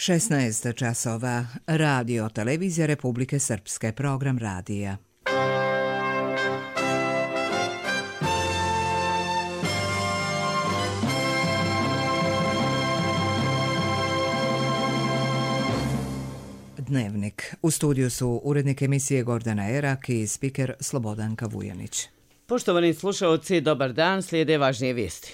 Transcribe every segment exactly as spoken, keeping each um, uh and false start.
šesnaest časova. Radio Televizija Republike Srpske. Program radija. Dnevnik. U studiju su urednik emisije Gordana Erak i spiker Slobodanka Vujanić. Poštovani slušaoci, dobar dan, slijede važnije vijesti.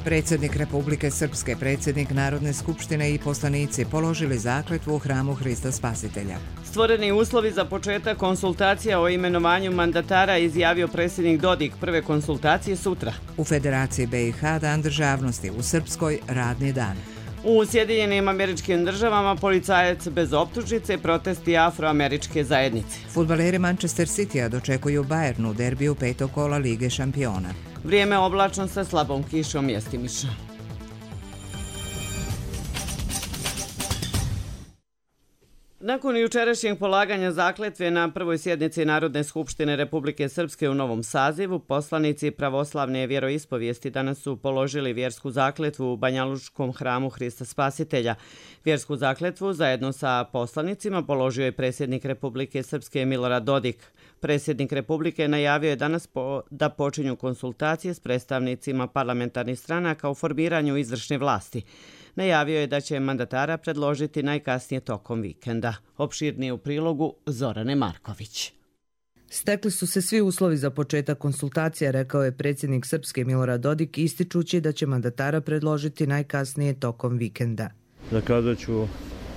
Predsjednik Republike Srpske, predsjednik Narodne skupštine i poslanici položili zakletvu u hramu Hrista Spasitelja. Stvoreni uslovi za početak konsultacija o imenovanju mandatara izjavio predsjednik Dodik. Prve konsultacije sutra. U Federaciji B i H Dan državnosti, u Srpskoj radni dan. U Sjedinjenim Američkim Državama policajac bez optužnice, protesti afroameričke zajednice. Fudbaleri Manchester Citya dočekuju Bayernu u derbiju petog kola Lige šampiona. Vrijeme oblačno sa slabom kišom mjestimično. Nakon jučerašnjeg polaganja zakletve na prvoj sjednici Narodne skupštine Republike Srpske u novom sazivu, poslanici pravoslavne vjeroispovijesti danas su položili vjersku zakletvu u Banjalučkom hramu Hrista Spasitelja. Vjersku zakletvu zajedno sa poslanicima položio je predsjednik Republike Srpske Milorad Dodik. Predsjednik Republike najavio je danas po, da počinju konsultacije s predstavnicima parlamentarnih stranaka u formiranju izvršne vlasti. Najavio je da će mandatara predložiti najkasnije tokom vikenda. Opširnije u prilogu Zorane Marković. Stekli su se svi uslovi za početak konsultacija, rekao je predsjednik Srpske Milorad Dodik, ističući da će mandatara predložiti najkasnije tokom vikenda. Zakazat ću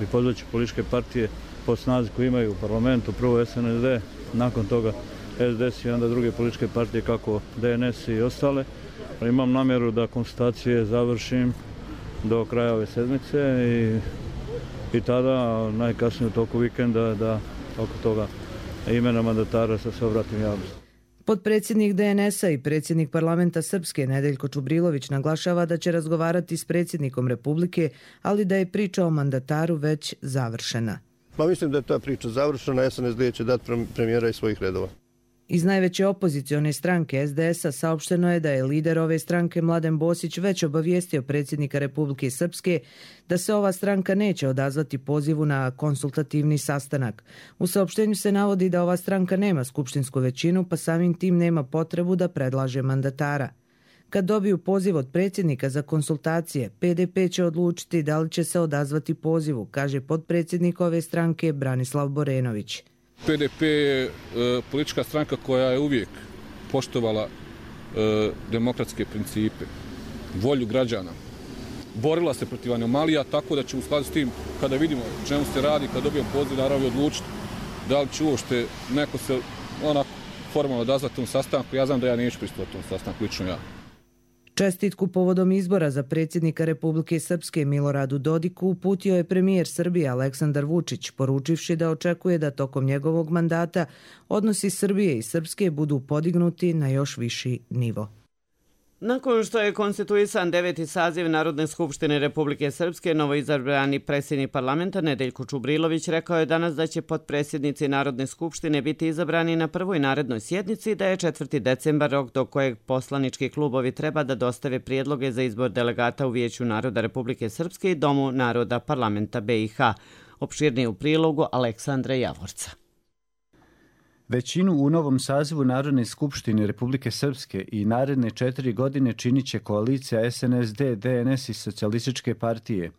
i pozvat ću političke partije po snazi koje imaju u parlamentu, prvo S N S D, nakon toga S D S i onda druge političke partije kako D N S i ostale. Imam namjeru da konsultacije završim do kraja ove sedmice i, i tada najkasnije u toku vikenda da oko toga imena mandatara sa se obratim javnosti. Potpredsjednik D N S-a i predsjednik parlamenta Srpske Nedeljko Čubrilović naglašava da će razgovarati s predsjednikom Republike, ali da je priča o mandataru već završena. Pa mislim da je ta priča završena, S N S D će dati premijera iz svojih redova. Iz najveće opozicione stranke S D S-a saopšteno je da je lider ove stranke Mladen Bosić već obavijestio predsjednika Republike Srpske da se ova stranka neće odazvati pozivu na konsultativni sastanak. U saopštenju se navodi da ova stranka nema skupštinsku većinu, pa samim tim nema potrebu da predlaže mandatara. Kad dobiju poziv od predsjednika za konsultacije, P D P će odlučiti da li će se odazvati pozivu, kaže potpredsjednik ove stranke Branislav Borenović. P D P je e, politička stranka koja je uvijek poštovala e, demokratske principe, volju građana. Borila se protiv anomalija, tako da će u skladu s tim, kada vidimo o čemu se radi, kada dobijemo poziv, naravno odlučiti da li će uopšte neko se onako formalno odazvati tom sastanku. Ja znam da ja neću pristupiti tom sastanku, lično ja. Čestitku povodom izbora za predsjednika Republike Srpske Miloradu Dodiku uputio je premijer Srbije Aleksandar Vučić, poručivši da očekuje da tokom njegovog mandata odnosi Srbije i Srpske budu podignuti na još viši nivo. Nakon što je konstituisan deveti saziv Narodne skupštine Republike Srpske, novoizabrani predsjednik parlamenta Nedeljko Čubrilović rekao je danas da će potpredsjednici Narodne skupštine biti izabrani na prvoj narednoj sjednici, da je četvrti decembar rok do kojeg poslanički klubovi treba da dostave prijedloge za izbor delegata u Vijeću naroda Republike Srpske i Domu naroda parlamenta B i H. Opširnije u prilogu Aleksandra Javorca. Većinu u novom sazivu Narodne skupštine Republike Srpske i naredne četiri godine činit će koalicija S N S D, D N S i Socijalističke partije.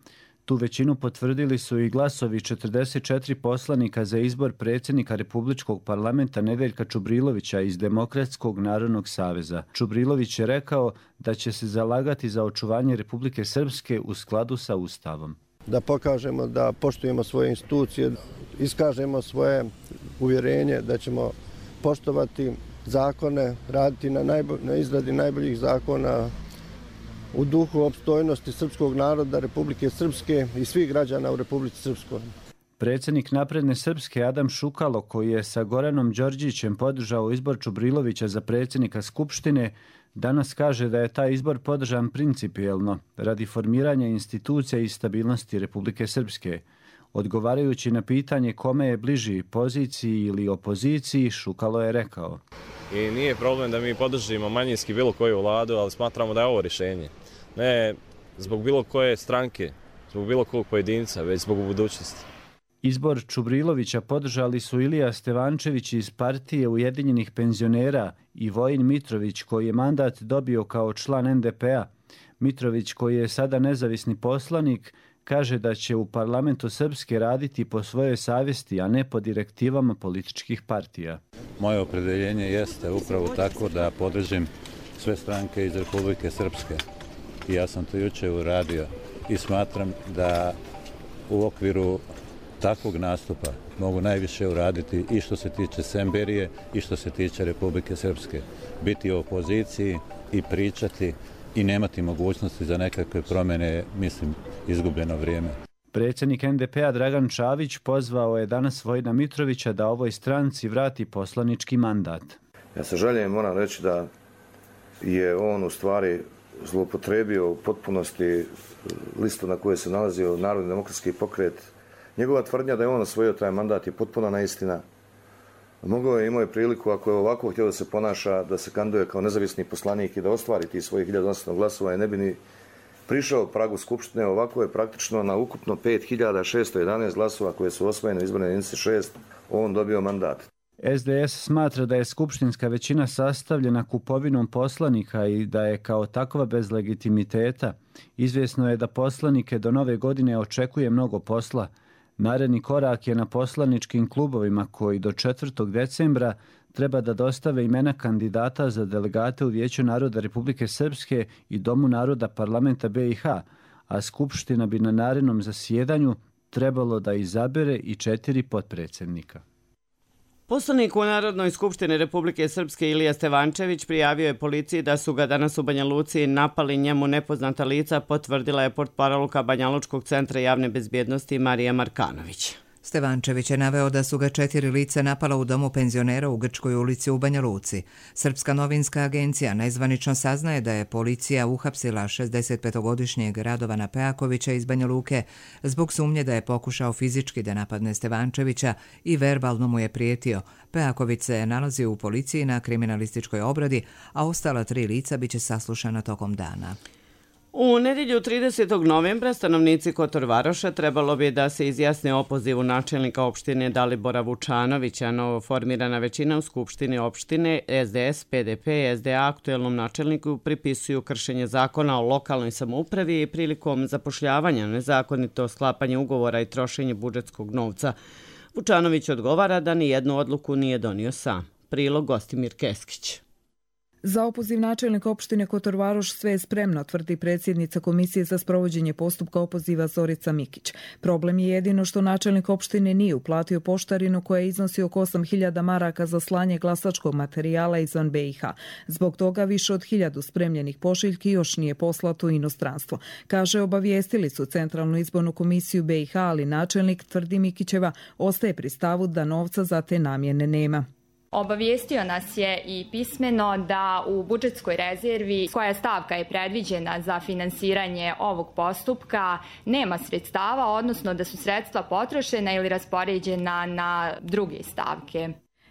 Tu većinu potvrdili su i glasovi četrdeset četiri poslanika za izbor predsjednika Republičkog parlamenta Nedeljka Čubrilovića iz Demokratskog narodnog saveza. Čubrilović je rekao da će se zalagati za očuvanje Republike Srpske u skladu sa Ustavom. Da pokažemo da poštujemo svoje institucije, iskažemo svoje uvjerenje da ćemo poštovati zakone, raditi na, najbolj, na izradi najboljih zakona u duhu opstojnosti srpskog naroda Republike Srpske i svih građana u Republici Srpskoj. Predsjednik Napredne Srpske Adam Šukalo, koji je sa Goranom Đorđićem podržao izbor Čubrilovića za predsjednika Skupštine, danas kaže da je taj izbor podržan principijelno radi formiranja institucija i stabilnosti Republike Srpske. Odgovarajući na pitanje kome je bliži poziciji ili opoziciji, Šukalo je rekao: I nije problem da mi podržimo manjinski bilo koju vladu, ali smatramo da je ovo rješenje. Ne zbog bilo koje stranke, zbog bilo kog pojedinca, već zbog budućnosti. Izbor Čubrilovića podržali su Ilija Stevančević iz partije Ujedinjenih penzionera i Vojin Mitrović, koji je mandat dobio kao član en de pe a. Mitrović, koji je sada nezavisni poslanik, kaže da će u parlamentu Srpske raditi po svojoj savjesti, a ne po direktivama političkih partija. Moje opredeljenje jeste upravo tako da podržim sve stranke iz Republike Srpske. I ja sam to juče uradio i smatram da u okviru takvog nastupa mogu najviše uraditi i što se tiče Semberije i što se tiče Republike Srpske. Biti u opoziciji i pričati i nemati mogućnosti za nekakve promjene, mislim, izgubljeno vrijeme. Predsjednik en de pe a Dragan Čavić pozvao je danas Vojina Mitrovića da ovoj stranci vrati poslanički mandat. Ja sa žaljenjem moram reći da je on u stvari zloupotrebio u potpunosti listu na kojoj se nalazio Narodni demokratski pokret. Njegova tvrdnja da je on osvojio taj mandat je potpuna neistina. Mogao je, imao je priliku, ako je ovako htio da se ponaša, da se kandiduje kao nezavisni poslanik i da ostvari tih svojih hiljadu osamsto glasova i ne bi ni prišao pragu Skupštine. Ovako je praktično na ukupno pet hiljada šesto jedanaest glasova koje su osvojene u izbornoj jedinici šest, on dobio mandat. es de es smatra da je skupštinska većina sastavljena kupovinom poslanika i da je kao takva bez legitimiteta. Izvjesno je da poslanike do nove godine očekuje mnogo posla. Naredni korak je na poslaničkim klubovima koji do četvrtog decembra treba da dostave imena kandidata za delegate u Vijeću naroda Republike Srpske i Domu naroda parlamenta be i ha, a Skupština bi na narednom zasjedanju trebalo da izabere i četiri potpredsjednika. Poslanik u Narodnoj skupštini Republike Srpske Ilija Stevančević prijavio je policiji da su ga danas u Banja Luci napali njemu nepoznata lica, potvrdila je portparolka Banjalučkog centra javne bezbjednosti Marija Markanović. Stevančević je naveo da su ga četiri lica napala u domu penzionera u Grčkoj ulici u Banja Luci. Srpska novinska agencija nezvanično saznaje da je policija uhapsila šezdesetpetogodišnjeg Radovana Pejakovića iz Banja Luke zbog sumnje da je pokušao fizički da napadne Stevančevića i verbalno mu je prijetio. Pejaković se nalazi u policiji na kriminalističkoj obradi, a ostala tri lica biće saslušana tokom dana. U nedjelju tridesetog novembra stanovnici Kotorvaroša trebalo bi da se izjasne o opozivu načelnika opštine Dalibora Vučanovića. Novo formirana većina u skupštini opštine es de es, pe de pe i es de a aktuelnom načelniku pripisuju kršenje zakona o lokalnoj samoupravi i prilikom zapošljavanja, nezakonito sklapanje ugovora i trošenje budžetskog novca. Vučanović odgovara da ni jednu odluku nije donio sam. Prilog Gostimir Keskić. Za opoziv načelnika opštine Kotorvaroš sve je spremno, tvrdi predsjednica Komisije za sprovođenje postupka opoziva Zorica Mikić. Problem je jedino što načelnik opštine nije uplatio poštarinu koja iznosi oko osam hiljada maraka za slanje glasačkog materijala izvan be i ha. Zbog toga više od hiljadu spremljenih pošiljki još nije poslato u inostranstvo. Kaže, obavijestili su Centralnu izbornu komisiju be i ha, ali načelnik, tvrdi Mikićeva, ostaje pri stavu da novca za te namjene nema. Obavijestio nas je i pismeno da u budžetskoj rezervi, koja stavka je predviđena za finansiranje ovog postupka, nema sredstava, odnosno da su sredstva potrošena ili raspoređena na druge stavke.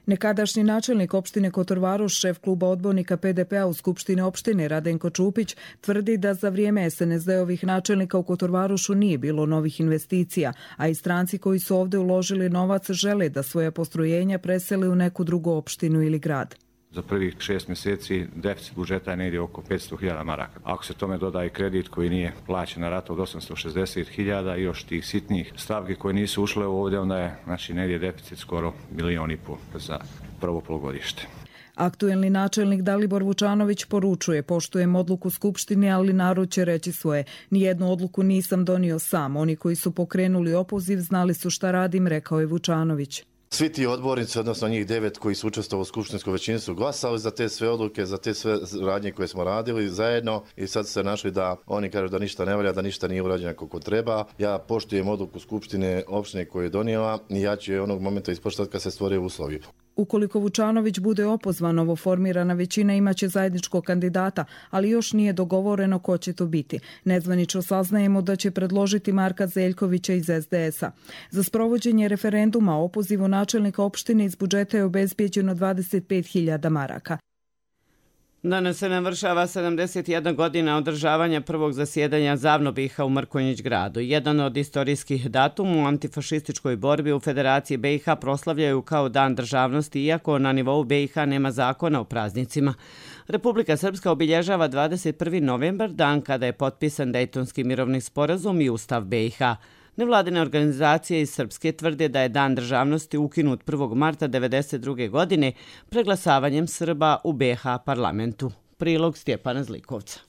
Nekadašnji načelnik opštine Kotorvaroš, šef kluba odbornika pe de pe a u Skupštini opštine Radenko Čupić, tvrdi da za vrijeme es en es de-ovih načelnika u Kotorvarošu nije bilo novih investicija, a i stranci koji su ovdje uložili novac žele da svoje postrojenja presele u neku drugu opštinu ili grad. Za prvih šest mjeseci deficit budžeta je negdje oko petsto hiljada maraka. Ako se tome doda i kredit koji nije plaćen na ratu od osamsto šezdeset hiljada i još tih sitnih stavki koje nisu ušle ovdje, onda je znači, negdje deficit skoro milijon i pol za prvo polugodište. Aktuelni načelnik Dalibor Vučanović poručuje: poštujem odluku Skupštine, ali narod će reći svoje. Nijednu odluku nisam donio sam. Oni koji su pokrenuli opoziv znali su šta radim, rekao je Vučanović. Svi ti odbornici, odnosno njih devet koji su učestvovali u skupštinskoj većini, su glasali za te sve odluke, za te sve radnje koje smo radili zajedno i sad su se našli da oni kažu da ništa ne valja, da ništa nije urađeno kako treba. Ja poštujem odluku Skupštine opštine koju je donijela i ja ću je onog momenta ispoštovati kad se stvore uslovi. Ukoliko Vučanović bude opozvan, novoformirana većina imaće zajedničkog kandidata, ali još nije dogovoreno ko će to biti. Nezvanično saznajemo da će predložiti Marka Zeljkovića iz es de es a. Za sprovođenje referenduma o opozivu načelnika opštine iz budžeta je obezbijeđeno dvadeset pet hiljada maraka. Danas se navršava sedamdeset jedna godina održavanja prvog zasjedanja Zavnobiha u Mrkonjić gradu. Jedan od istorijskih datuma u antifašističkoj borbi u Federaciji be i ha proslavljaju kao Dan državnosti, iako na nivou be i ha nema zakona o praznicima. Republika Srpska obilježava dvadeset prvi novembar, dan kada je potpisan Dejtonski mirovni sporazum i Ustav be i ha. Nevladine organizacije iz Srpske tvrde da je Dan državnosti ukinut prvog marta devedeset druge godine preglasavanjem Srba u be ha parlamentu. Prilog Stjepana Zlikovca.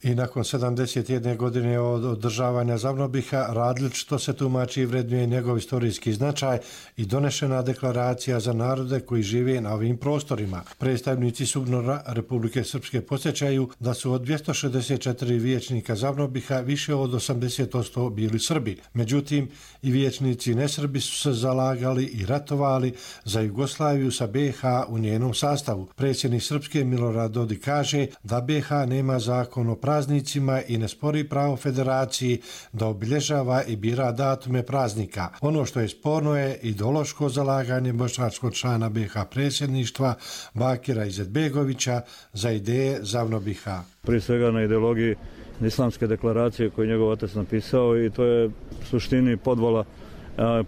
I nakon sedamdeset jedne godine od održavanja Zavnobiha različito se tumači i vrednuje njegov istorijski značaj i donešena deklaracija za narode koji žive na ovim prostorima. Predstavnici SUBNOR-a Republike Srpske podsjećaju da su od dvjesto šezdeset četiri vijećnika Zavnobiha više od osamdeset posto bili Srbi. Međutim, i vijećnici nesrbi su se zalagali i ratovali za Jugoslaviju sa be ha u njenom sastavu. Predsjednik Srpske Milorad Dodik kaže da be ha nema zakon o praznicima i ne spori pravo federaciji da obilježava i bira datume praznika. Ono što je sporno je ideološko zalaganje bošnjačkog člana be ha predsjedništva Bakira Izetbegovića za ideje Zavnobiha. Prije svega na ideologiji islamske deklaracije koju je njegov otac napisao i to je u suštini podvala,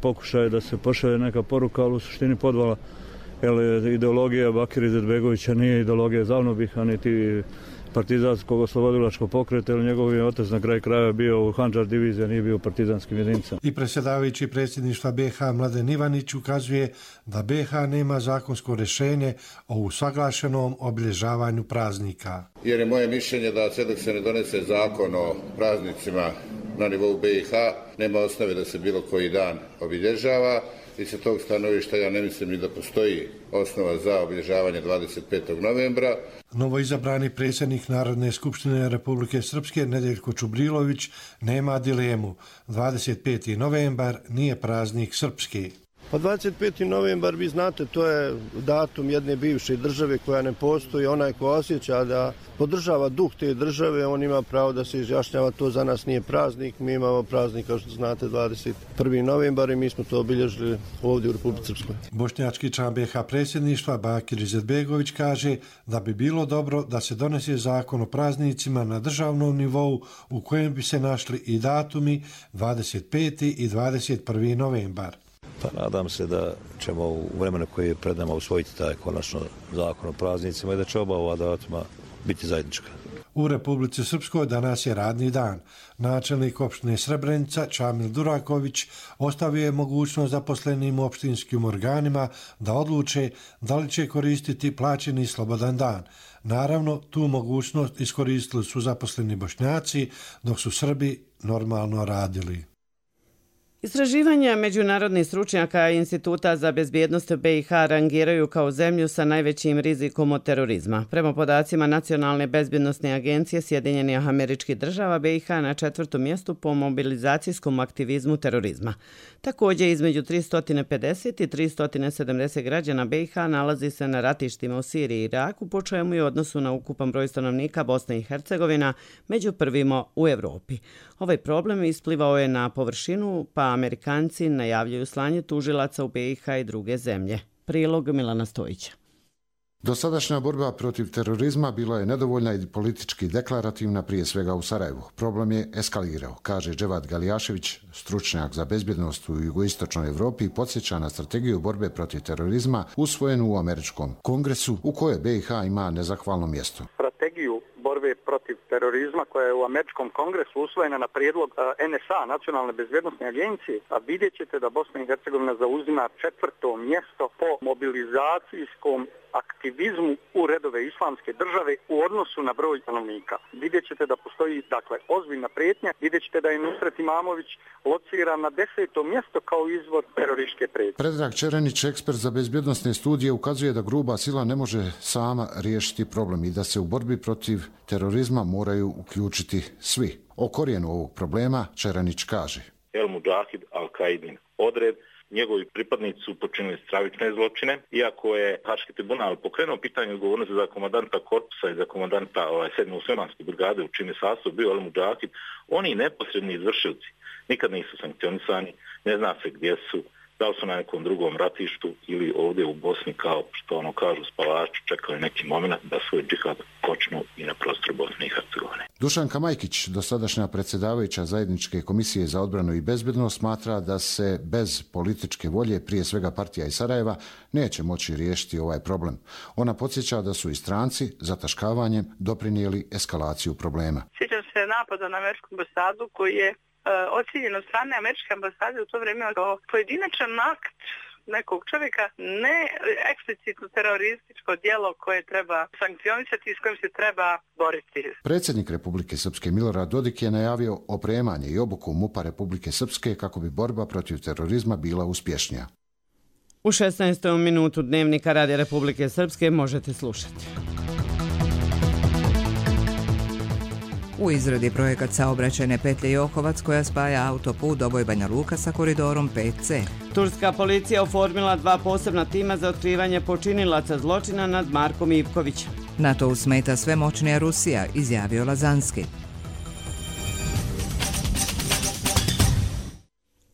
pokušaj da se pošalje neka poruka, ali u suštini podvala. Jer ideologija Bakira Izetbegovića nije ideologija Zavnobiha, niti partizanskog oslobodilačkog pokreta, jer njegov je otac na kraj kraja bio u Handžar diviziji, nije bio u partizanskim jedinicama. I predsjedavajući predsjedništva be ha Mladen Ivanić ukazuje da be ha nema zakonsko rješenje o usaglašenom obilježavanju praznika. Jer je moje mišljenje da sve dok se ne donese zakon o praznicima na nivou be i ha, nema osnove da se bilo koji dan obilježava. I sa tog stanovišta ja ne mislim ni da postoji osnova za obilježavanje dvadeset petog novembra. Novoizabrani predsjednik Narodne skupštine Republike Srpske Nedeljko Čubrilović nema dilemu. dvadeset peti novembar nije praznik srpski. Pa dvadeset peti novembar, vi znate, to je datum jedne bivše države koja ne postoji. Onaj ko osjeća da podržava duh te države, on ima pravo da se izjašnjava. To za nas nije praznik, mi imamo praznik, kao što znate, dvadeset prvi novembar i mi smo to obilježili ovdje u Republici Srpskoj. Bošnjački član be ha predsjedništva Bakir Izetbegović kaže da bi bilo dobro da se donese zakon o praznicima na državnom nivou u kojem bi se našli i datumi dvadeset peti i dvadeset prvi novembar. Pa nadam se da ćemo u vremenu koje je pred nama usvojiti taj konačno zakon o praznicima i da će oba ova datuma biti zajednička. U Republici Srpskoj danas je radni dan. Načelnik opštine Srebrenica Čamil Duraković ostavio je mogućnost zaposlenim u opštinskim organima da odluče da li će koristiti plaćeni slobodan dan. Naravno, tu mogućnost iskoristili su zaposleni Bošnjaci, dok su Srbi normalno radili. Istraživanja međunarodnih stručnjaka Instituta za bezbjednost be i ha rangiraju kao zemlju sa najvećim rizikom od terorizma. Prema podacima Nacionalne bezbjednostne agencije Sjedinjenih Američkih Država, be i ha na četvrtom mjestu po mobilizacijskom aktivizmu terorizma. Također, između tristo pedeset i tristo sedamdeset građana be i ha nalazi se na ratištima u Siriji i Iraku, po čemu je u odnosu na ukupan broj stanovnika Bosne i Hercegovina među prvima u Evropi. Ovaj problem isplivao je na površinu, pa Amerikanci najavljuju slanje tužilaca u be i ha i druge zemlje. Prilog Milana Stojića. Dosadašnja borba protiv terorizma bila je nedovoljna i politički deklarativna, prije svega u Sarajevu. Problem je eskalirao, kaže Dževad Galijašević, stručnjak za bezbjednost u jugoistočnoj Evropi, i podsjeća na strategiju borbe protiv terorizma usvojenu u Američkom kongresu, u kojoj be i ha ima nezahvalno mjesto. Strategiju borbe protiv terorizma koja je u Američkom kongresu usvojena na prijedlog en es a, Nacionalne bezbjednostne agencije, a vidjet ćete da Bosna i Hercegovina zauzima četvrto mjesto po mobilizacijskom aktivizmu u redove islamske države u odnosu na broj stanovnika. Vidjet ćete da postoji, dakle, ozbiljna prijetnja, vidjet ćete da je Nusret Imamović lociran na deseto mjesto kao izvor terorističke prijetnje. Predrag Čerenić, ekspert za bezbjednosne studije, ukazuje da gruba sila ne može sama riješiti problem i da se u borbi protiv terorizma moraju uključiti svi. O korijenu ovog problema Čerenić kaže: El Mudžahid Al-Qaidin odred njegovi pripadnici su počinili stravične zločine. Iako je Haški tribunal pokrenuo pitanje odgovornosti za komandanta korpusa i za komandanta ovaj, sedme muslimanske brigade u čim je sastav bio Al Mudžahid, oni neposredni izvršilci nikad nisu sankcionisani, ne zna se gdje su, da li su na nekom drugom ratištu ili ovdje u Bosni, kao što ono kažu spavači, čekali neki moment da svoj džihad počnu i na prostoru Bosne i Hercegovine. Dušanka Majkić, dosadašnja predsjedavajuća Zajedničke komisije za odbranu i bezbednost, smatra da se bez političke volje, prije svega partija iz Sarajeva, neće moći riješiti ovaj problem. Ona podsjeća da su i stranci zataškavanjem doprinijeli eskalaciju problema. Sjećam se napada na američku ambasadu koji je ocijenjen od strane američke ambasade u to vrijeme kao pojedinačan akt nekog čovjeka, ne eksplicitno terorističko djelo koje treba sankcionisati i s kojim se treba boriti. Predsjednik Republike Srpske Milorad Dodik je najavio opremanje i obuku MUP-a Republike Srpske kako bi borba protiv terorizma bila uspješnija. U šesnaestom minutu Dnevnika Radija Republike Srpske možete slušati. U izradi projekat saobraćajne petlje Johovac koja spaja autoput Doboj Banja Luka sa koridorom pet ce. Turska policija oformila dva posebna tima za otkrivanje počinilaca zločina nad Markom Ivkovićem. NATO smeta sve moćnija Rusija, izjavio Lazanski.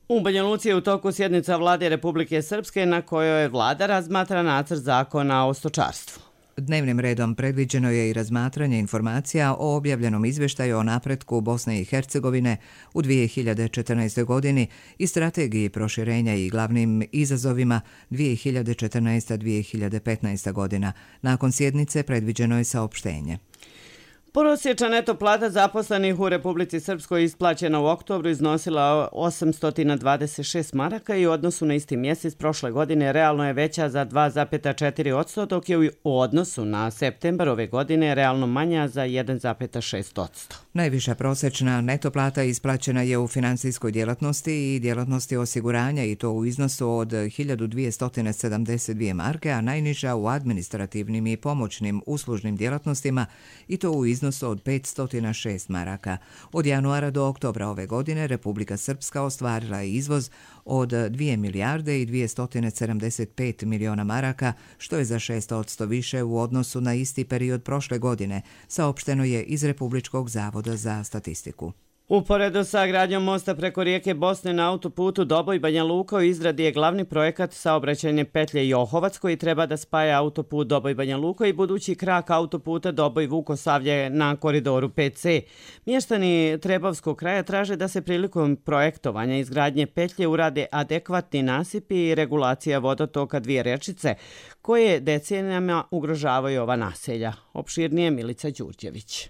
U Banja Luci je u toku sjednica Vlade Republike Srpske na kojoj vlada razmatra nacrt zakona o stočarstvu. Dnevnim redom predviđeno je i razmatranje informacija o objavljenom izvještaju o napretku Bosne i Hercegovine u dvije hiljade četrnaestoj. godini i strategiji proširenja i glavnim izazovima dvije hiljade četrnaesta do dvije hiljade petnaesta. godina. Nakon sjednice predviđeno je saopštenje. Prosječna neto plata zaposlenih u Republici Srpskoj isplaćena u oktobru iznosila osamsto dvadeset šest maraka i u odnosu na isti mjesec prošle godine realno je veća za dva zarez četiri posto, dok je u odnosu na septembar ove godine realno manja za jedan zarez šest posto. Najviša prosječna neto plata isplaćena je u financijskoj djelatnosti i djelatnosti osiguranja i to u iznosu od hiljadu dvjesto sedamdeset dvije marke, a najniža u administrativnim i pomoćnim uslužnim djelatnostima i to u iznosu od petsto šest maraka. Od januara do oktobra ove godine Republika Srpska ostvarila je izvoz od dvije milijarde i dvjesto sedamdeset pet miliona maraka, što je za šest posto više u odnosu na isti period prošle godine, saopšteno je iz Republičkog zavoda za statistiku. Uporedo sa gradnjom mosta preko rijeke Bosne na autoputu Doboj Banja Luka u izradi je glavni projekat saobraćajne petlje Johovac koji treba da spaja autoput Doboj Banja Luka i budući krak autoputa Doboj Vukosavlje na koridoru pet ce. Mještani Trebavskog kraja traže da se prilikom projektovanja izgradnje petlje urade adekvatni nasipi i regulacija vodotoka dvije rečice koje decenijama ugrožavaju ova naselja. Opširnije Milica Đurđević.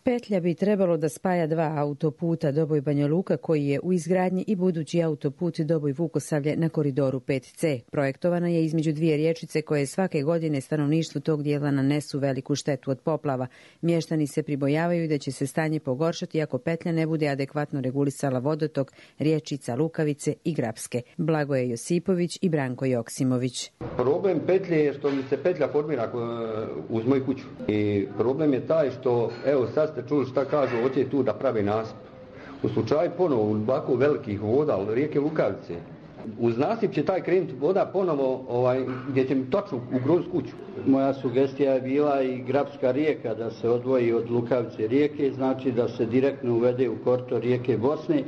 Petlja bi trebalo da spaja dva autoputa Doboj Banja Luka koji je u izgradnji i budući autoput Doboj Vukosavlje na koridoru pet ce. Projektovana je između dvije riječice koje svake godine stanovništvu tog dijela nanesu veliku štetu od poplava. Mještani se pribojavaju da će se stanje pogoršati ako petlja ne bude adekvatno regulisala vodotok riječica Lukavice i Grapske. Blagoje Josipović i Branko Joksimović. Problem petlje je što mi se petlja formira uz moju kuću. I problem je taj što, evo sad ste čuli šta kažu, hoće tu da pravi nasip. U slučaju ponovo u baku velikih voda, rijeke Lukavice, uz nasip će taj krenuti voda ponovo ovaj, gdje će mi točno ugroziti kuću. Moja sugestija je bila i Grapska rijeka da se odvoji od Lukavice rijeke, znači da se direktno uvede u korito rijeke Bosne.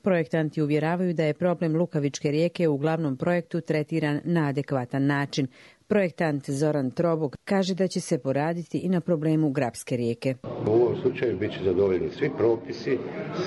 Projektanti uvjeravaju da je problem Lukavičke rijeke u glavnom projektu tretiran na adekvatan način. Projektant Zoran Trobog kaže da će se poraditi i na problemu Grapske rijeke. U ovom slučaju bit će zadovoljeni svi propisi,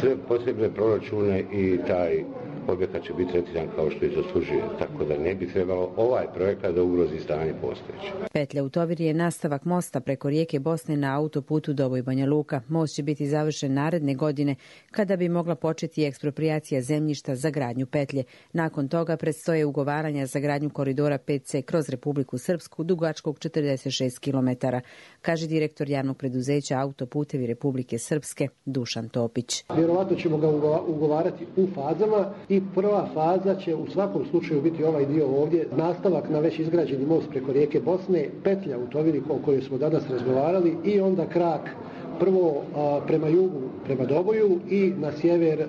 sve potrebne proračune i taj objekat će biti tretiran kao što je zaslužuje, tako da ne bi trebalo ovaj projekat da ugrozi stanje postojeće. Petlja u Tovir je nastavak mosta preko rijeke Bosne na autoputu Doboj Banja Luka. Most će biti završen naredne godine kada bi mogla početi eksproprijacija zemljišta za gradnju petlje. Nakon toga predstoje ugovaranja za gradnju koridora pet ce kroz Republiku Srpsku dugačkog četrdeset šest kilometara, kaže direktor javnog preduzeća Autoputevi Republike Srpske Dušan Topić. Vjerovatno ćemo ga ugovarati u fazama i prva faza će u svakom slučaju biti ovaj dio ovdje, nastavak na već izgrađeni most preko rijeke Bosne, petlja u Toviri o kojoj smo danas razgovarali i onda krak prvo a, prema jugu prema Doboju i na sjever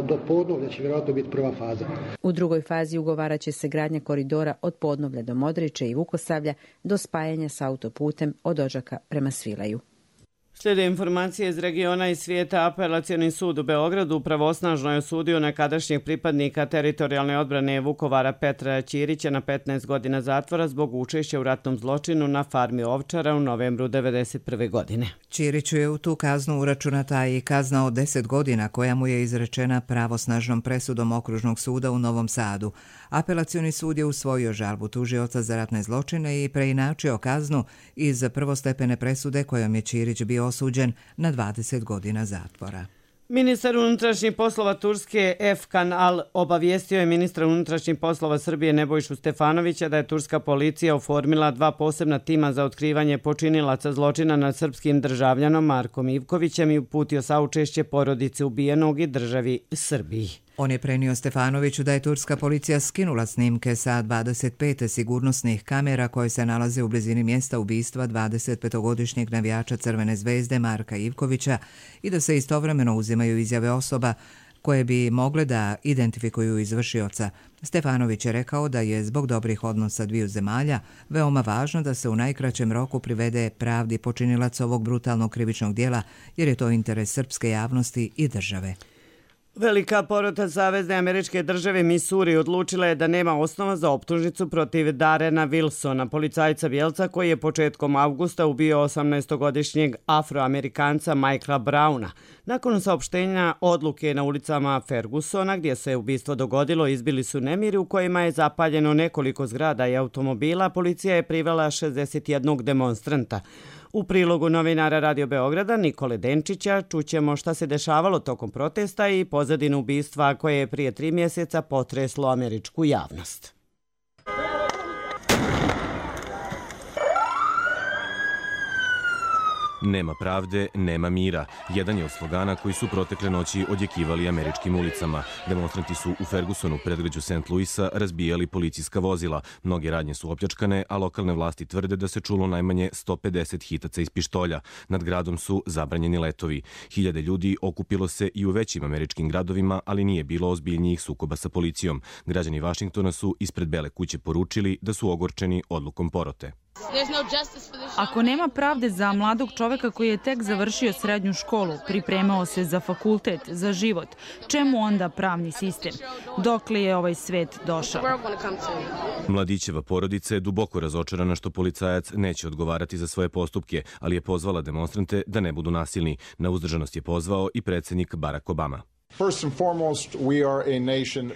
do Podnovlja će vjerojatno biti prva faza. U drugoj fazi ugovarat će se gradnja koridora od Podnovlja do Modriče i Vukosavlja do spajanja s autoputem od Odžaka prema Svilaju. Slijede informacije iz regiona i svijeta. Apelacioni sud u Beogradu pravosnažno je osudio nekadašnjeg pripadnika teritorijalne odbrane Vukovara Petra Ćirića na petnaest godina zatvora zbog učešća u ratnom zločinu na farmi Ovčara u novembru devedeset prve. godine. Ćiriću je u tu kaznu uračunata i kazna od deset godina koja mu je izrečena pravosnažnom presudom Okružnog suda u Novom Sadu. Apelacioni sud je usvojio žalbu tužioca za ratne zločine i preinačio kaznu iz prvostepene presude kojom je Ćirić bio osuđen na dvadeset godina zatvora. Ministar unutrašnjih poslova Turske Efkan Al obavijestio je ministra unutrašnjih poslova Srbije Nebojšu Stefanovića da je turska policija oformila dva posebna tima za otkrivanje počinilaca zločina nad srpskim državljanom Markom Ivkovićem i uputio saučešće porodice ubijenog i državi Srbiji. On je prenio Stefanoviću da je turska policija skinula snimke sa dvadeset pet sigurnosnih kamera koje se nalaze u blizini mjesta ubistva dvadesetpetogodišnjeg navijača Crvene zvezde Marka Ivkovića i da se istovremeno uzimaju izjave osoba koje bi mogle da identifikuju izvršioca. Stefanović je rekao da je zbog dobrih odnosa dviju zemalja veoma važno da se u najkraćem roku privede pravdi počinilac ovog brutalnog krivičnog dijela jer je to interes srpske javnosti i države. Velika porota Savezne američke države Missouri odlučila je da nema osnova za optužnicu protiv Darrena Wilsona, policajca bijelca koji je početkom avgusta ubio osamnaestogodišnjeg afroamerikanca Michaela Browna. Nakon saopštenja odluke na ulicama Fergusona, gdje se ubistvo dogodilo, izbili su nemiri u kojima je zapaljeno nekoliko zgrada i automobila, policija je privela šezdeset jednog demonstranta. U prilogu novinara Radio Beograda Nikole Denčića čućemo šta se dešavalo tokom protesta i pozadinu ubistva koje je prije tri mjeseca potreslo američku javnost. Nema pravde, nema mira. Jedan je od slogana koji su protekle noći odjekivali američkim ulicama. Demonstranti su u Fergusonu, predgrađu Saint Louisa, razbijali policijska vozila. Mnoge radnje su opljačkane, a lokalne vlasti tvrde da se čulo najmanje sto pedeset hitaca iz pištolja. Nad gradom su zabranjeni letovi. Hiljade ljudi okupilo se i u većim američkim gradovima, ali nije bilo ozbiljnijih sukoba sa policijom. Građani Vašingtona su ispred Bele kuće poručili da su ogorčeni odlukom porote. Ako nema pravde za mladog čoveka koji je tek završio srednju školu, pripremao se za fakultet, za život, čemu onda pravni sistem? Dokle je ovaj svet došao? Mladićeva porodica je duboko razočarana što policajac neće odgovarati za svoje postupke, ali je pozvala demonstrante da ne budu nasilni. Na uzdržanost je pozvao i predsjednik Barack Obama.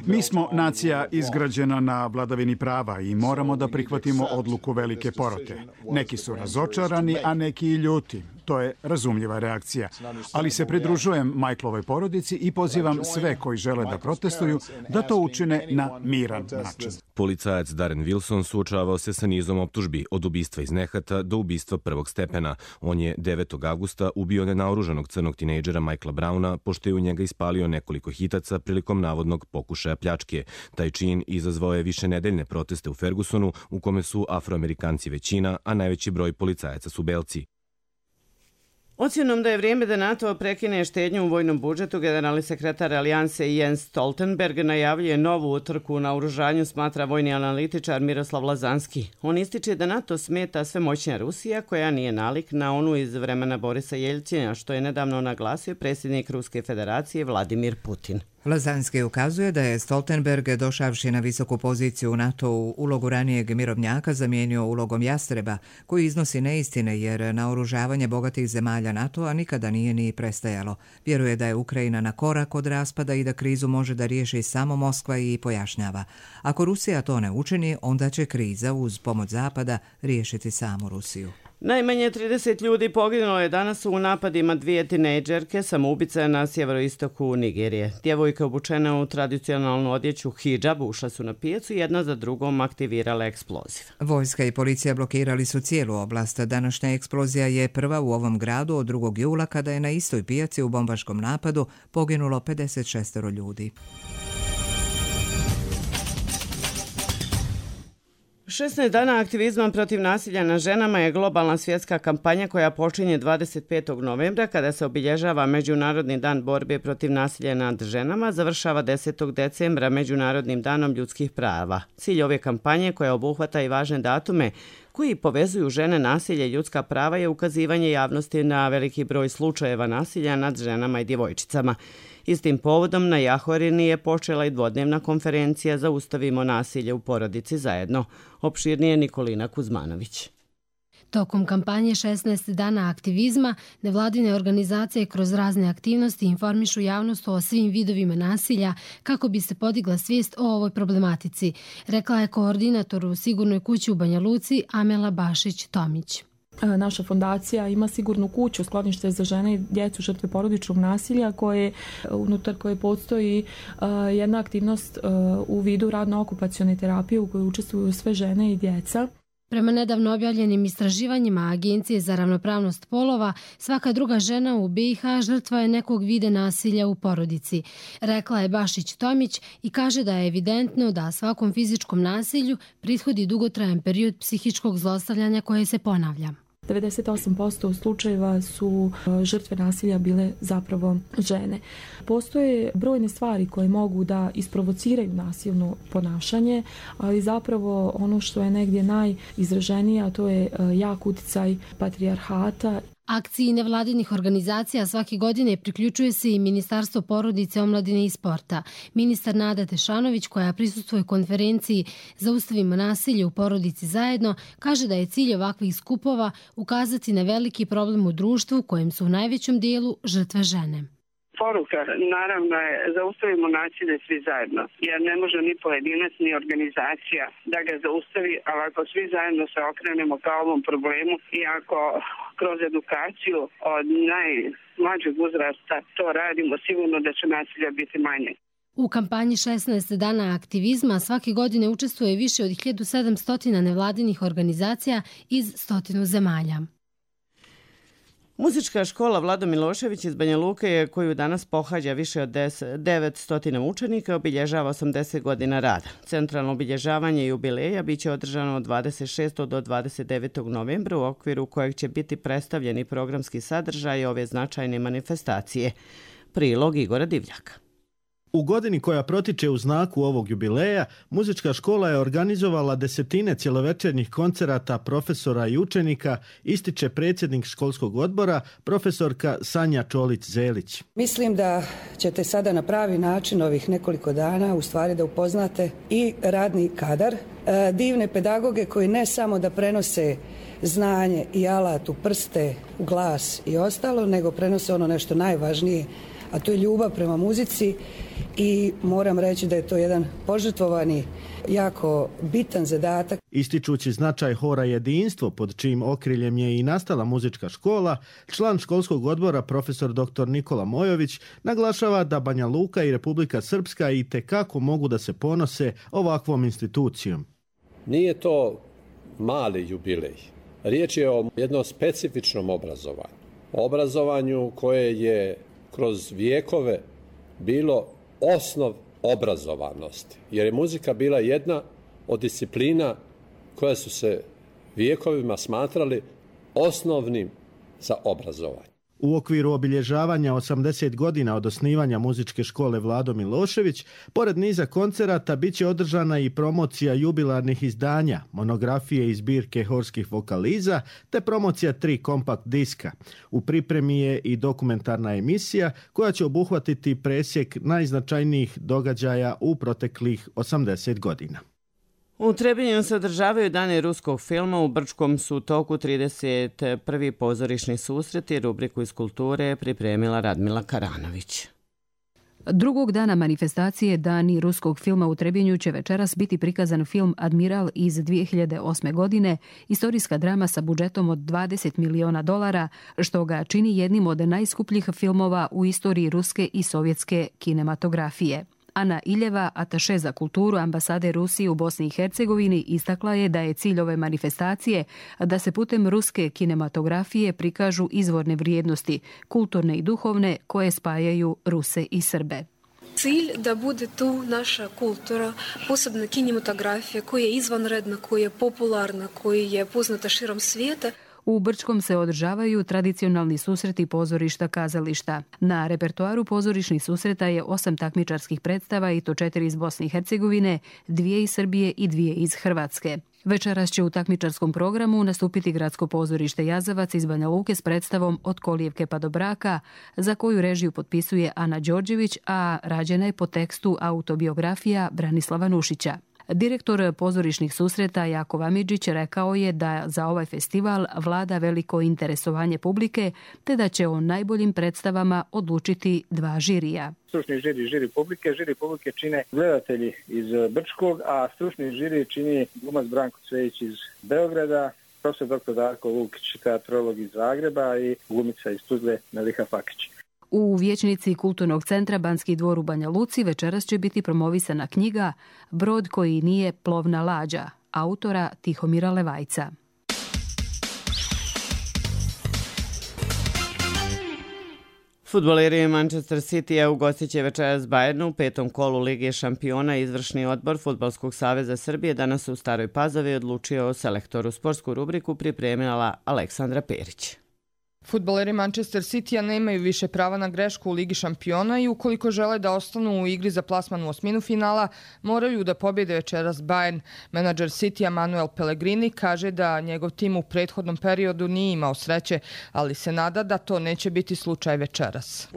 Mi smo nacija izgrađena na vladavini prava i moramo da prihvatimo odluku velike porote. Neki su razočarani, a neki i ljuti. To je razumljiva reakcija. Ali se pridružujem Michaelovoj porodici i pozivam sve koji žele da protestuju da to učine na miran način. Policajac Darren Wilson suočavao se sa nizom optužbi od ubistva iz nehata do ubistva prvog stepena. On je devetog avgusta ubio nenaoružanog crnog tinejdžera Michaela Browna pošto je u njega ispalio nekoliko hitaca prilikom navodnog pokušaja pljačke. Taj čin izazvao je višenedeljne proteste u Fergusonu u kome su Afroamerikanci većina, a najveći broj policajaca su belci. Ocjenom da je vrijeme da NATO prekine štednju u vojnom budžetu, generalni sekretar Alijanse Jens Stoltenberg najavljuje novu utrku u naoružanju, smatra vojni analitičar Miroslav Lazanski. On ističe da NATO smeta sve moćnija Rusija, koja nije nalik na onu iz vremena Borisa Jeljcina, što je nedavno naglasio predsjednik Ruske federacije Vladimir Putin. Lazanski ukazuje da je Stoltenberg, došavši na visoku poziciju u NATO u ulogu ranijeg mirovnjaka, zamijenio ulogom jastreba, koji iznosi neistine jer naoružavanje bogatih zemalja NATO-a nikada nije ni prestajalo. Vjeruje da je Ukrajina na korak od raspada i da krizu može da riješi samo Moskva i pojašnjava. Ako Rusija to ne učini, onda će kriza uz pomoć Zapada riješiti samu Rusiju. Najmanje trideset ljudi poginulo je danas u napadima dvije tinejdžerke samoubice na sjeveroistoku Nigerije. Djevojke obučene u tradicionalnu odjeću hidžab ušle su na pijacu i jedna za drugom aktivirale eksploziv. Vojska i policija blokirali su cijelu oblast. Današnja eksplozija je prva u ovom gradu od drugog jula kada je na istoj pijaci u bombaškom napadu poginulo pedeset šest ljudi. šesnaest dana aktivizma protiv nasilja nad ženama je globalna svjetska kampanja koja počinje dvadeset petog novembra kada se obilježava Međunarodni dan borbe protiv nasilja nad ženama, završava desetog decembra Međunarodnim danom ljudskih prava. Cilj ove kampanje, koja obuhvata i važne datume koji povezuju žene, nasilje i ljudska prava, je ukazivanje javnosti na veliki broj slučajeva nasilja nad ženama i djevojčicama. Istim povodom na Jahorini je počela i dvodnevna konferencija Zaustavimo nasilje u porodici zajedno. Opširnije Nikolina Kuzmanović. Tokom kampanje šesnaest dana aktivizma, nevladine organizacije kroz razne aktivnosti informišu javnost o svim vidovima nasilja kako bi se podigla svijest o ovoj problematici, rekla je koordinator u Sigurnoj kući u Banja Luci Amela Bašić-Tomić. Naša fondacija ima sigurnu kuću, sklonište za žene i djecu žrtve porodičnog nasilja, koje, unutar koje postoji jedna aktivnost u vidu radno-okupacione terapije u kojoj učestvuju sve žene i djeca. Prema nedavno objavljenim istraživanjima Agencije za ravnopravnost polova, svaka druga žena u B i H žrtva je nekog vide nasilja u porodici, rekla je Bašić-Tomić i kaže da je evidentno da svakom fizičkom nasilju prithodi dugotrajan period psihičkog zlostavljanja koje se ponavlja. devedeset osam posto slučajeva su žrtve nasilja bile zapravo žene. Postoje brojne stvari koje mogu da isprovociraju nasilno ponašanje, ali zapravo ono što je negdje najizraženije, a to je jak uticaj patrijarhata. Akciji nevladinih organizacija svake godine priključuje se i Ministarstvo porodice, omladine i sporta. Ministar Nada Tešanović, koja prisustvuje konferenciji Zaustavimo nasilje u porodici zajedno, kaže da je cilj ovakvih skupova ukazati na veliki problem u društvu kojem su u najvećem dijelu žrtve žene. Poruka naravno je zaustavimo nasilje svi zajedno, jer ne može ni pojedinac ni organizacija da ga zaustavi, ali ako svi zajedno se okrenemo ka ovom problemu i ako kroz edukaciju od najmlađeg uzrasta to radimo, sigurno da će nasilja biti manje. U kampanji šesnaest dana aktivizma svake godine učestvuje više od hiljadu sedamsto nevladinih organizacija iz stotinu zemalja. Muzička škola Vlado Milošević iz Banja Luke, koju danas pohađa više od devetsto učenika, obilježava osamdeset godina rada. Centralno obilježavanje jubileja biće održano od dvadeset šestog do dvadeset devetog novembra, u okviru kojeg će biti predstavljeni programski sadržaj ove značajne manifestacije. Prilog Igora Divljaka. U godini koja protiče u znaku ovog jubileja, muzička škola je organizovala desetine cjelovečernjih koncerata profesora i učenika, ističe predsjednik školskog odbora, profesorka Sanja Čolić-Zelić. Mislim da ćete sada na pravi način ovih nekoliko dana u stvari da upoznate i radni kadar, divne pedagoge koji ne samo da prenose znanje i alat u prste, u glas i ostalo, nego prenose ono nešto najvažnije, a to je ljubav prema muzici, i moram reći da je to jedan požrtvovani, jako bitan zadatak. Ističući značaj hora Jedinstvo, pod čijim okriljem je i nastala muzička škola, član školskog odbora profesor doktor Nikola Mojović naglašava da Banja Luka i Republika Srpska i tekako mogu da se ponose ovakvom institucijom. Nije to mali jubilej. Riječ je o jednom specifičnom obrazovanju. Obrazovanju koje je kroz vijekove bilo osnov obrazovanosti, jer je muzika bila jedna od disciplina koja su se vijekovima smatrali osnovnim za obrazovanje. U okviru obilježavanja osamdeset godina od osnivanja muzičke škole Vlado Milošević, pored niza koncerata bit će održana i promocija jubilarnih izdanja, monografije i zbirke horskih vokaliza, te promocija tri kompakt diska. U pripremi je i dokumentarna emisija koja će obuhvatiti presjek najznačajnijih događaja u proteklih osamdeset godina. U Trebinju se održavaju dani ruskog filma, u Brčkom su u toku trideset prvi pozorišni susreti, rubriku iz kulture pripremila Radmila Karanović. Drugog dana manifestacije Dani ruskog filma u Trebinju će večeras biti prikazan film Admiral iz dvije hiljade osme. godine, istorijska drama sa budžetom od dvadeset miliona dolara, što ga čini jednim od najskupljih filmova u istoriji ruske i sovjetske kinematografije. Ana Iljeva, ataše za kulturu ambasade Rusije u Bosni i Hercegovini, istakla je da je cilj ove manifestacije da se putem ruske kinematografije prikažu izvorne vrijednosti, kulturne i duhovne, koje spajaju Ruse i Srbe. Cilj da bude tu naša kultura, posebno kinematografija koja je izvanredna, koja je popularna, koja je poznata širom svijeta. U Brčkom se održavaju tradicionalni susreti pozorišta kazališta. Na repertoaru pozorišnih susreta je osam takmičarskih predstava i to četiri iz Bosne i Hercegovine, dvije iz Srbije i dvije iz Hrvatske. Večeras će u takmičarskom programu nastupiti Gradsko pozorište Jazavac iz Banja Luke s predstavom Od kolijevke pa do braka, za koju režiju potpisuje Ana Đorđević, a rađena je po tekstu autobiografija Branislava Nušića. Direktor pozorišnih susreta Jakov Amidžić rekao je da za ovaj festival vlada veliko interesovanje publike, te da će o najboljim predstavama odlučiti dva žirija. Stručni žiri, žiri publike, žiri publike čine gledatelji iz Brčkog, a stručni žiri čini glumac Branko Cvejić iz Beograda, profesor doktor Darko Lukić, teatrolog iz Zagreba i glumica iz Tuzle Meliha Fakić. U vijećnici Kulturnog centra Banski dvor u Banja Luci večeras će biti promovisana knjiga Brod koji nije plovna lađa, autora Tihomira Levajca. Fudbaleri Manchester City ugostit će večeras Bayernu u petom kolu Lige šampiona. Izvršni odbor Fudbalskog saveza Srbije danas u Staroj Pazovi odlučio o selektoru. Sportsku rubriku pripremila Aleksandra Perić. Fudbaleri Manchester Citya nemaju više prava na grešku u Ligi šampiona i ukoliko žele da ostanu u igri za plasman u osminu finala, moraju da pobjede večeras Bayern. Menadžer Citya Manuel Pellegrini kaže da njegov tim u prethodnom periodu nije imao sreće, ali se nada da to neće biti slučaj večeras.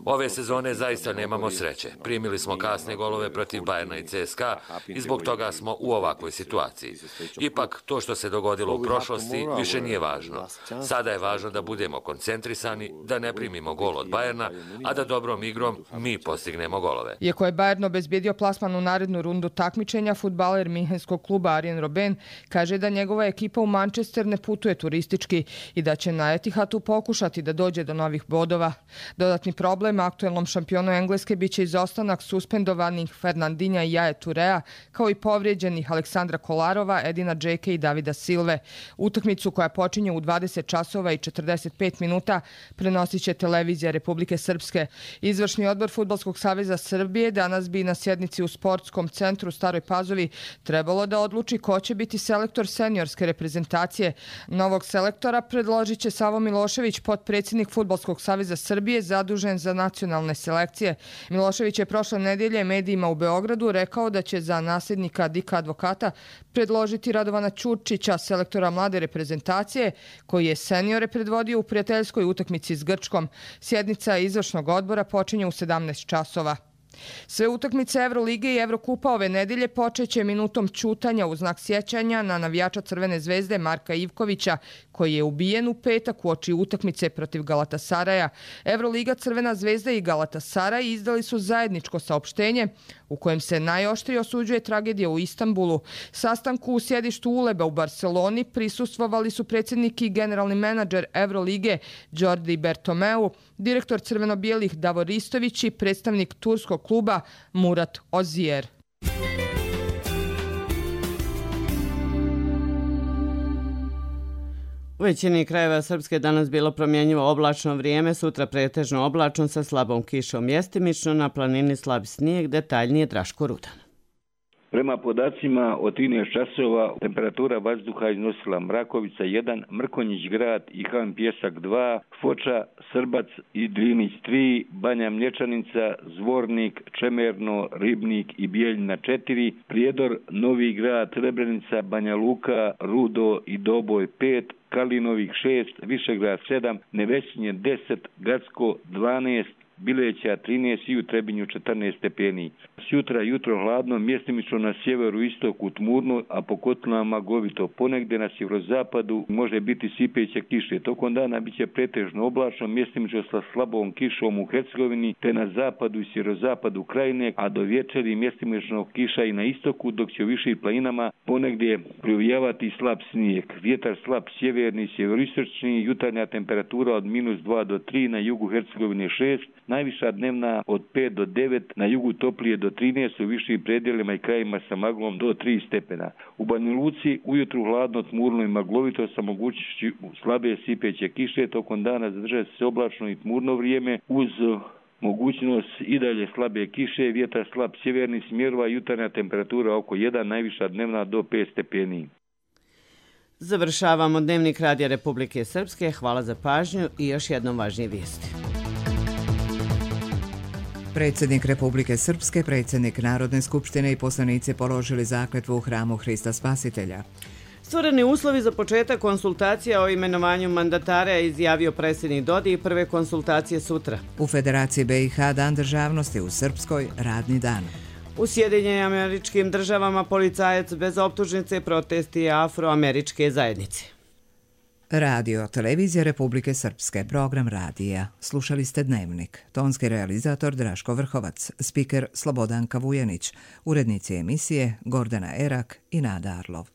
Ove sezone zaista nemamo sreće. Primili smo kasne golove protiv Bayerna i C S K A i zbog toga smo u ovakvoj situaciji. Ipak, to što se dogodilo u prošlosti više nije važno. Sada je važno da budemo koncentrisani, da ne primimo gol od Bayerna, a da dobrom igrom mi postignemo golove. Iako je Bayern obezbijedio plasman u narednu rundu takmičenja, fudbaler minhenskog kluba Arjen Robben kaže da njegova ekipa u Manchester ne putuje turistički i da će na Etihadu pokušati da dođe do novih bodova. Dodatni problem aktuelnom šampionu Engleske biće izostanak suspendovanih Fernandinha i Jaje Turea, kao i povrijeđenih Aleksandra Kolarova, Edina Džeke i Davida Silve. Utakmicu koja počinje u dvadeset časova i četrdeset pet minuta prenosit će televizija Republike Srpske. Izvršni odbor Fudbalskog saveza Srbije danas bi na sjednici u Sportskom centru u Staroj Pazovi trebalo da odluči ko će biti selektor seniorske reprezentacije. Novog selektora predložit će Savo Milošević, potpredsjednik Fudbalskog saveza Srbije zadužen za nacionalne selekcije. Milošević je prošle nedelje medijima u Beogradu rekao da će za nasljednika Dika Advokata predložiti Radovana Ćurčića, selektora mlade reprezentacije, koji je seniore predvodio u prijateljskoj utakmici s Grčkom. Sjednica izvršnog odbora počinje u sedamnaest časova. Sve utakmice Evrolige i Evrokupa ove nedelje počeće minutom ćutanja u znak sjećanja na navijača Crvene zvezde Marka Ivkovića, koji je ubijen u petak uoči utakmice protiv Galatasaraja. Evroliga, Crvena zvezda i Galatasaraj izdali su zajedničko saopštenje u kojem se najoštrije osuđuje tragedija u Istanbulu. Sastanku u sjedištu Uleba u Barceloni prisustvovali su predsjednik i generalni menadžer Evrolige Jordi Bertomeu, direktor crveno-bijelih Davor Istović i predstavnik turskog kluba Murat Ozijer. U većini krajeva Srpske danas bilo promjenjivo oblačno vrijeme, sutra pretežno oblačno sa slabom kišom, mjestimično na planini slab snijeg, detaljnije Draško Rudan. Prema podacima od trinaest časova temperatura vazduha iznosila Mrakovica jedan, Mrkonjić grad i Han Pjesak dva, Foča, Srbac i Drinić tri, Banja Mlječanica, Zvornik, Čemerno, Ribnik i Bijeljina četiri, Prijedor, Novi grad, Srebrenica, Banja Luka, Rudo i Doboj pet, Kalinovih šest, Višegrad sedam, Nevesinje deset, Gacko dvanaest, Bileća trinaest i u Trebinju četrnaest stepeni. Sjutra jutro hladno, mjestimično na sjeveru istoku tmurno, a po kotlinama magovito. Ponegde na sjeverozapadu može biti sipeće kiše. Tokom dana biće pretežno oblačno, mjestimično sa slabom kišom u Hercegovini, te na zapadu i sjeverozapadu krajine, a do večeri mjestimično kiša i na istoku, dok će u višim planinama ponegdje provijavati slab snijeg. Vjetar slab sjeverni, sjeveroistočni, jutarnja temperatura od minus dva do tri, na jugu Hercegovine šest, najviša dnevna od pet do devet, na jugu toplije do trinaest, u višim predjelima i krajima sa maglom do tri stepena. U Banja Luci ujutru hladno, tmurno i maglovito sa mogućnošću slabe sipeće kiše, tokom dana zadržat se oblačno i tmurno vrijeme uz mogućnost i dalje slabe kiše, vjetar slab sjeverni smjerova, jutarnja temperatura oko jedan, najviša dnevna do pet stepeni. Završavamo Dnevnik Radija Republike Srpske. Hvala za pažnju i još jednom važnije vijesti. Predsjednik Republike Srpske, predsjednik Narodne skupštine i poslanici položili zakletvu u hramu Hrista Spasitelja. Stvoreni uslovi za početak konsultacija o imenovanju mandatara je izjavio predsjednik Dodi i prve konsultacije sutra. U Federaciji B i H Dan državnosti, u Srpskoj radni dan. U Sjedinjenim Američkim Državama policajac bez optužnice protesti afroameričke zajednice. Radio, televizija Republike Srpske, program radija. Slušali ste Dnevnik. Tonski realizator Draško Vrhovac, spiker Slobodanka Vujanić, urednici emisije Gordana Erak i Nada Arlov.